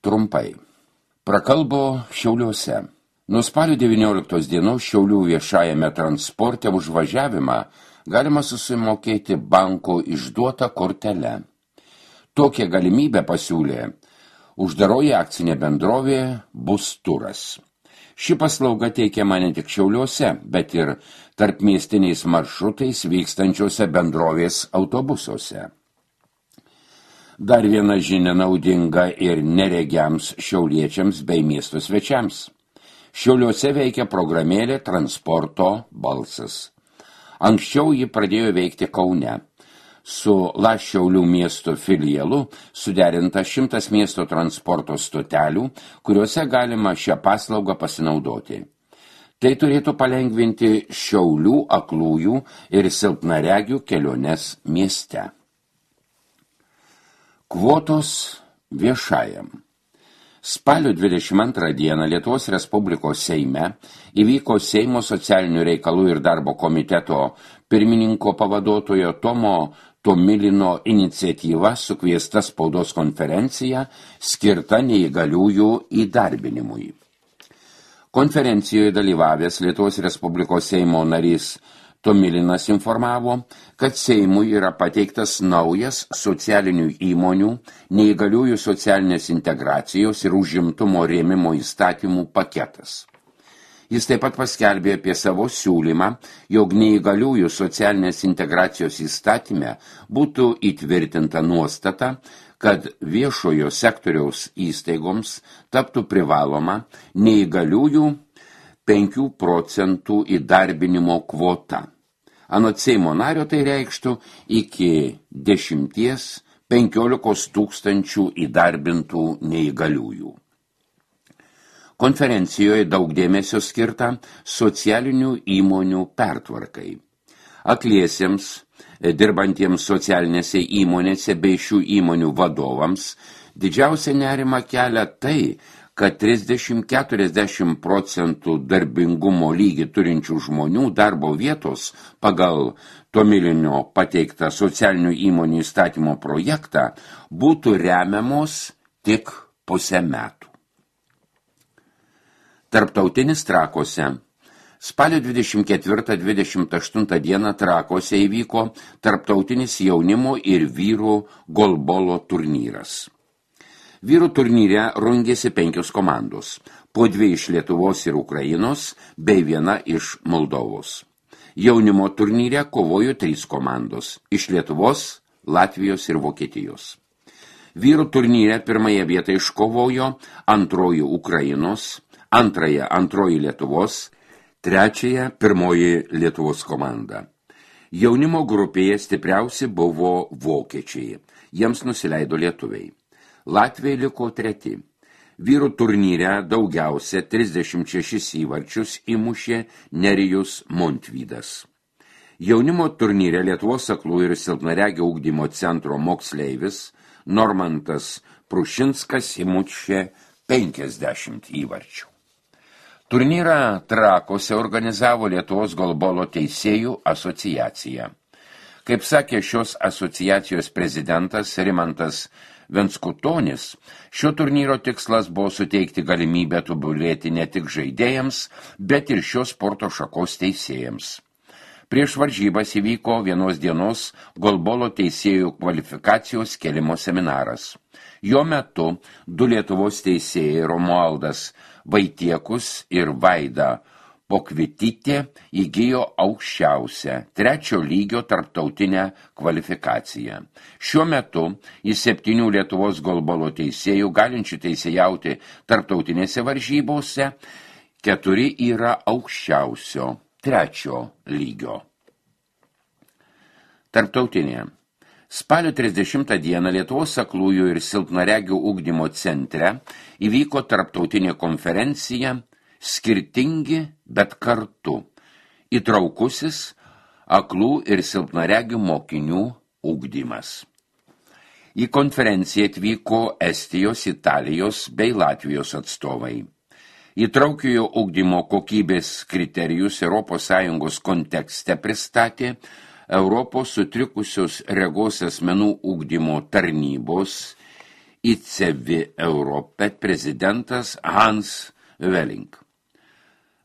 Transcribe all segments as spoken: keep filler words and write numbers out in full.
Trumpai. Prakalbo Šiauliuose. Nuo spalio devynioliktos dienos Šiaulių viešajame transporte už važiavimą galima susimokėti banko išduotą kortelę. Tokią galimybę pasiūlė uždaroji akcinė bendrovė Bus Turas. Ši paslauga teikiama ne tik Šiauliuose, bet ir tarpmiestiniais maršrutais vykstančiuose bendrovės autobusuose. Dar viena žinia naudinga ir neregiams šiauliečiams bei miesto svečiams. Šiauliuose veikia programėlė Transporto balsas. Anksčiau ji pradėjo veikti Kaune. Su La Šiaulių miesto filialu suderinta šimtas miesto transporto stotelių, kuriuose galima šią paslaugą pasinaudoti. Tai turėtų palengvinti Šiaulių aklųjų ir silpnaregių keliones mieste. Kvotos viešajam. Spalio dvidešimt antrą dieną Lietuvos Respublikos Seime įvyko Seimo socialinių reikalų ir darbo komiteto pirmininko pavaduotojo Tomo Tomilino iniciatyva sukviesta spaudos konferencija skirta neįgaliųjų įdarbinimui. Konferencijoje dalyvavęs Lietuvos Respublikos Seimo narys Tomilinas informavo, kad Seimui yra pateiktas naujas socialinių įmonių, neįgaliųjų socialinės integracijos ir užimtumo rėmimo įstatymų paketas. Jis taip pat paskelbė apie savo siūlymą, jog neįgaliųjų socialinės integracijos įstatyme būtų įtvirtinta nuostata, kad viešojo sektoriaus įstaigoms taptų privaloma neįgaliųjų penkių procentų įdarbinimo kvota. Anot Seimo nario tai reikštų iki dešimties penkiolikos tūkstančių įdarbintų neįgaliųjų. Konferencijoje daug dėmesio skirta socialinių įmonių pertvarkai. Akliesiems, dirbantiems socialinėse įmonėse bei šių įmonių vadovams didžiausia nerima kelia tai, kad trisdešimt iki keturiasdešimt procentų darbingumo lygį turinčių žmonių darbo vietos pagal Tomilinio pateiktą socialinių įmonių įstatymo projektą būtų remiamos tik pusę metų. Tarptautinis Trakuose. Spalio dvidešimt ketvirtą dvidešimt aštuntą dieną Trakuose įvyko tarptautinis jaunimo ir vyrų golbolo turnyras. Vyrų turnyre rungėsi penkios komandos, po dvi iš Lietuvos ir Ukrainos, bei viena iš Moldovos. Jaunimo turnyre kovojo trys komandos, iš Lietuvos, Latvijos ir Vokietijos. Vyrų turnyre pirmąją vietą iškovojo antroji Ukrainos, antrąją antroji Lietuvos, trečiąją pirmoji Lietuvos komanda. Jaunimo grupėje stipriausi buvo vokiečiai, jiems nusileido lietuviai. Latviai liko treti. Vyrų turnyre daugiausia trisdešimt šešis įvarčius įmušė Nerijus Montvydas. Jaunimo turnyre Lietuvos aklų ir silpnaregio ugdymo centro moksleivis Normantas Prušinskas įmušė penkiasdešimt įvarčių. Turnyrą Trakuose organizavo Lietuvos golbolo teisėjų asociacija. Kaip sakė šios asociacijos prezidentas Rimantas Venskutonis, šio turnyro tikslas buvo suteikti galimybę tobulėti ne tik žaidėjams, bet ir šios sporto šakos teisėjams. Prieš varžybas įvyko vienos dienos golbolo teisėjų kvalifikacijos kėlimo seminaras. Jo metu du Lietuvos teisėjai Romualdas Vaitiekus ir Vaida Pokvitytė įgijo aukščiausią trečio lygio tarptautinę kvalifikaciją. Šiuo metu iš septynių Lietuvos golbolo teisėjų galinčių teisėjauti tarptautinėse varžybose keturi yra aukščiausio trečio lygio. Tarptautinė. Spalio trisdešimtą dieną Lietuvos aklųjų ir silpnaregių ugdymo centre įvyko tarptautinė konferencija Skirtingi, bet kartu. Įtraukusis aklų ir silpnaregių mokinių ugdymas. Į konferenciją atvyko Estijos, Italijos bei Latvijos atstovai. Įtraukiojo ugdymo kokybės kriterijus Europos Sąjungos kontekste pristatė Europos sutrikusios regos asmenų ugdymo tarnybos I C V Europe prezidentas Hans Welling.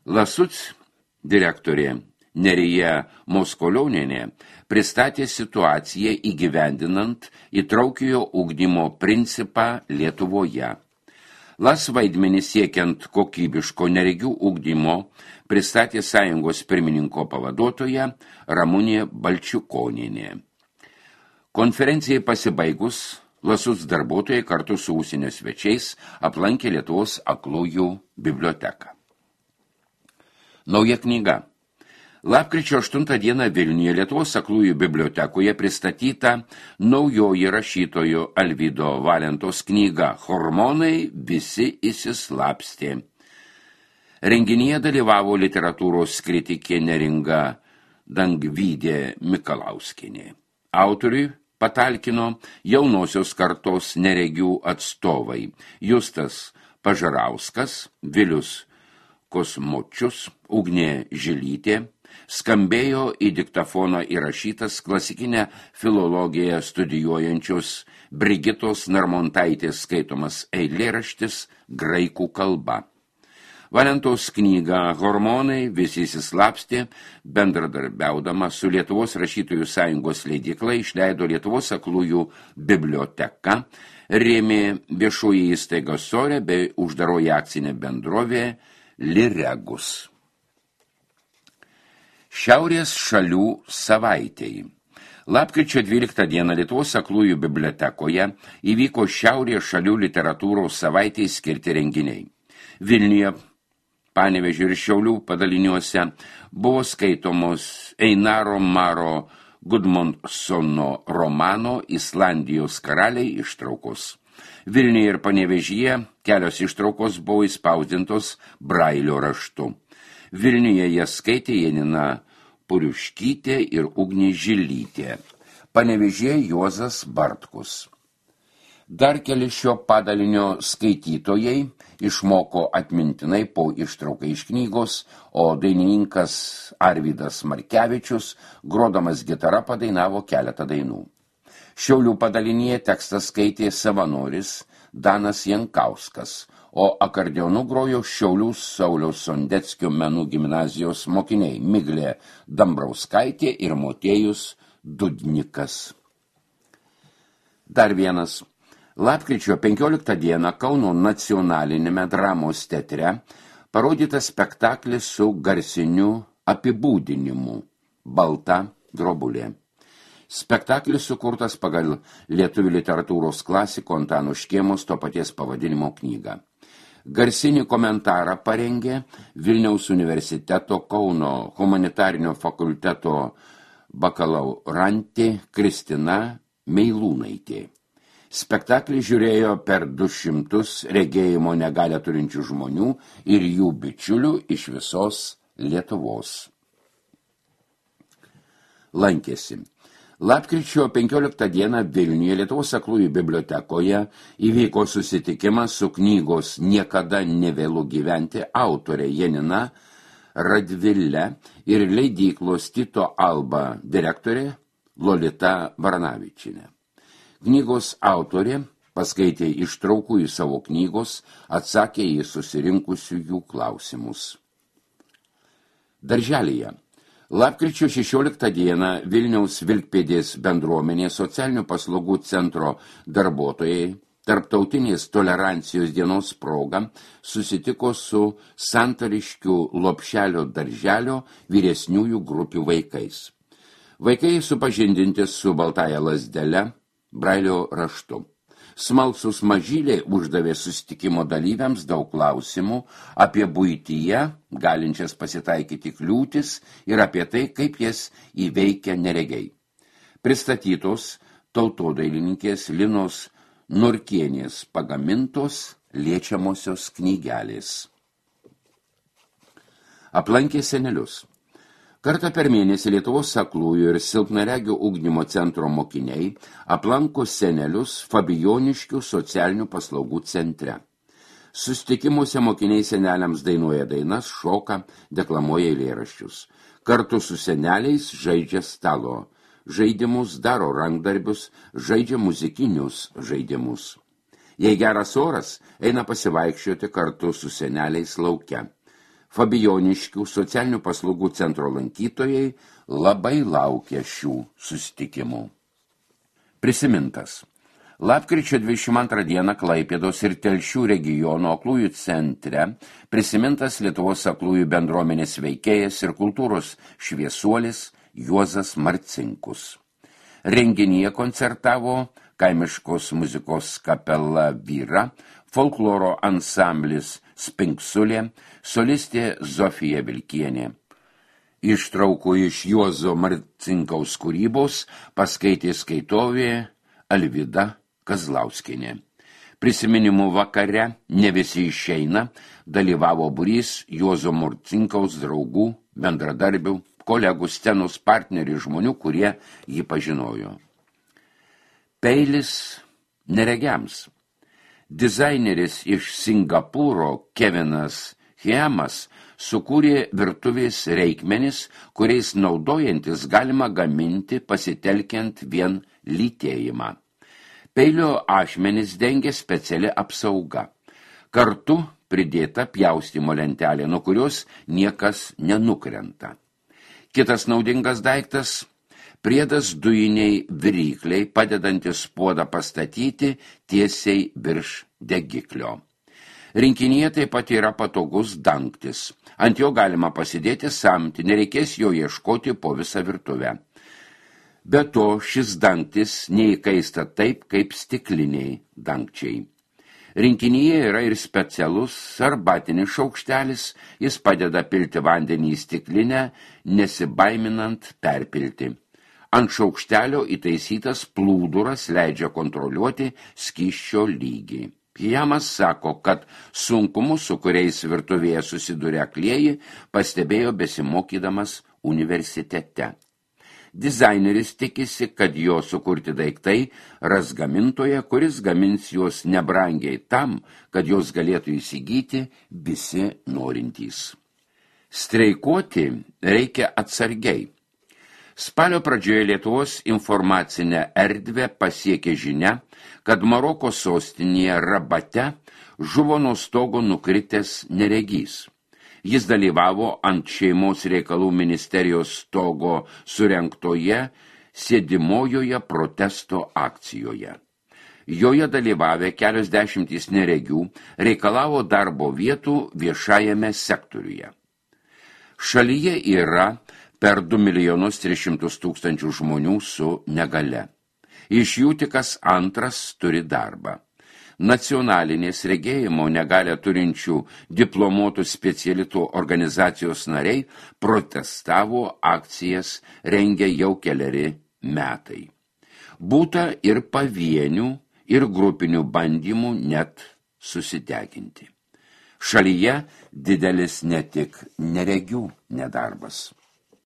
Lasuc direktorė Nerija Moskolionienė pristatė situaciją įgyvendinant įtraukiojo ugdymo principą Lietuvoje. Las vaidmenį siekiant kokybiško neregių ugdymo pristatė sąjungos pirmininko pavaduotoja Ramunė Balčiukonienė. Konferencijai pasibaigus, Lasuc darbuotojai kartu su užsienio svečiais aplankė Lietuvos aklųjų biblioteką. Nauja knyga. Lapkričio aštuntą dieną Vilniuje Lietuvos aklųjų bibliotekoje pristatyta naujoji rašytojo Alvydo Valentos knyga Hormonai visi įsislapstė. Renginyje dalyvavo literatūros kritikė Neringa Dangvydė Mikalauskienė. Autoriui patalkino jaunosios kartos neregių atstovai Justas Pažarauskas, Vilius Kosmočius, Ugnė Žilytė. Skambėjo į diktafoną įrašytas klasikinę filologiją studijuojančios Brigitos Narmontaitės skaitomas eilėraštis graikų kalba. Valentos knyga Hormonai visi įsislapstė, bendradarbiaudama su Lietuvos rašytojų sąjungos leidykla išleido Lietuvos aklųjų biblioteka, rėmė viešoji įstaiga Sore bei uždaroji akcinė bendrovė Liregus. Šiaurės šalių savaitėj. Lapkričio dvyliktą dieną Lietuvos aklųjų bibliotekoje įvyko Šiaurės šalių literatūros savaitėj skirti renginiai. Vilniuje, Panevėžio ir Šiaulių padaliniuose buvo skaitomos Einaro Maro Gudmundsono romano Islandijos karaliai ištraukos. Vilniuje ir Panevėžyje kelios ištraukos buvo įspausdintos brailio raštu. Vilniuje jas skaitė Janina Puriuškytė ir Ugnė Žilytė. Panevėžyje Juozas Bartkus. Dar keli šio padalinio skaitytojai išmoko atmintinai po ištrauką iš knygos, o dainininkas Arvydas Markevičius, grodamas gitara, padainavo keletą dainų. Šiaulių padalinyje tekstą skaitė savanoris Danas Jankauskas, o akordeonu grojo Šiaulių Sauliaus Sondeckio menų gimnazijos mokiniai Miglė Dambrauskaitė ir Motiejus Dudnikas. Dar vienas. Lapkričio penkioliktą dieną Kauno nacionalinėme dramos teatre parodytas spektaklis su garsiniu apibūdinimu Balta drobulė. Spektaklis sukurtas pagal lietuvių literatūros klasiko Antano Škėmos to paties pavadinimo knygą. Garsinį komentarą parengė Vilniaus universiteto Kauno humanitarinio fakulteto bakalaurantė Kristina Meilūnaitė. Spektaklį žiūrėjo per du šimtus regėjimo negalią turinčių žmonių ir jų bičiulių iš visos Lietuvos. Lankėsi. Lapkričio penkioliktą dieną Vilniuje Lietuvos aklųjų bibliotekoje įvyko susitikimas su knygos Niekada nevėlu gyventi autorė Janina Radvile ir leidyklos Tito Alba direktorė Lolita Varanavičienė. Knygos autorė paskaitė ištraukų į savo knygos, atsakė į susirinkusių jų klausimus. Darželyje. Lapkričio šešioliktą dieną Vilniaus Vilkpėdės bendruomenės socialinių paslaugų centro darbuotojai Tarptautinės tolerancijos dienos proga susitiko su Santariškių Lopšelio darželio vyresniųjų grupių vaikais. Vaikai supažindinti su baltąja lazdele, brailio raštu. Smalsus mažyliai uždavė susitikimo dalyviams daug klausimų apie buityje galinčias pasitaikyti kliūtis ir apie tai, kaip jas įveikia neregiai. Pristatytos tautodailininkės Linos Nurkienės pagamintos liečiamosios knygelės. Aplankė senelius. Kartą per mėnesį Lietuvos aklųjų ir silpnaregių ugdymo centro mokiniai aplanko senelius Fabijoniškių socialinių paslaugų centre. Susitikimuose mokiniai seneliams dainuoja dainas, šoka, deklamuoja eilėraščius. Kartu su seneliais žaidžia stalo žaidimus, daro rankdarbius, žaidžia muzikinius žaidimus. Jei geras oras, eina pasivaikščioti kartu su seneliais lauke. Fabijoniškių socialinių paslaugų centro lankytojai labai laukia šių susitikimų. Prisimintas. Lapkričio dvidešimt antrą dieną Klaipėdos ir Telšių regiono aklųjų centre prisimintas Lietuvos aklųjų bendruomenės veikėjas ir kultūros šviesuolis Juozas Marcinkus. Renginyje koncertavo kaimiškos muzikos kapela Vyra, folkloro ansamblis Spinksulė, solistė Zofija Vilkienė. Ištraukų iš Juozo Marcinkaus kūrybos paskaitė skaitovė Alvyda Kazlauskienė. Prisiminimų vakare Ne visi išeina dalyvavo būrys Juozo Marcinkaus draugų, bendradarbių, kolegų, scenos partnerių žmonių, kurie jį pažinojo. Peilis neregiams. Dizaineris iš Singapūro Kevinas Hiemas sukūrė virtuvės reikmenis, kuriais naudojantis galima gaminti pasitelkiant vien lytėjimą. Peilio ašmenis dengia speciali apsauga. Kartu pridėta pjaustymo lentelė, nuo kurios niekas nenukrenta. Kitas naudingas daiktas – priedas dujiniai virykliai, padedantis puodą pastatyti tiesiai virš degiklio. Rinkinyje taip pat yra patogus dangtis. Ant jo galima pasidėti samtį, nereikės jo ieškoti po visą virtuvę. Be to, šis dangtis neįkaista taip, kaip stikliniai dangčiai. Rinkinyje yra ir specialus arbatinis šaukštelis, jis padeda pilti vandenį į stiklinę, nesibaiminant perpilti. Ant šaukštelio įtaisytas plūduras leidžia kontroliuoti skysčio lygį. Hiemas sako, kad sunkumus, su kuriais virtuvėje susiduria aklieji, pastebėjo besimokydamas universitete. Dizaineris tikisi, kad jo sukurti daiktai ras gamintoje, kuris gamins juos nebrangiai tam, kad jos galėtų įsigyti visi norintys. Streikuoti reikia atsargiai. Spalio pradžioje Lietuvos informacinę erdvę pasiekė žinia, kad Maroko sostinėje Rabate žuvo nuo stogo nukritęs neregys. Jis dalyvavo ant šeimos reikalų ministerijos stogo surengtoje sėdimojoje protesto akcijoje. Joje dalyvavę kelios dešimtys neregių reikalavo darbo vietų viešajame sektoriuje. Šalyje yra per du milijonus tris šimtus tūkstančių žmonių su negale. Iš jų tik kas antras turi darbą. Nacionalinės regėjimo negalę turinčių diplomuotų specialitų organizacijos nariai protestavo, akcijas rengia jau keleri metai. Būta ir pavienių, ir grupinių bandymų net susitekinti. Šalyje didelis ne tik neregių nedarbas.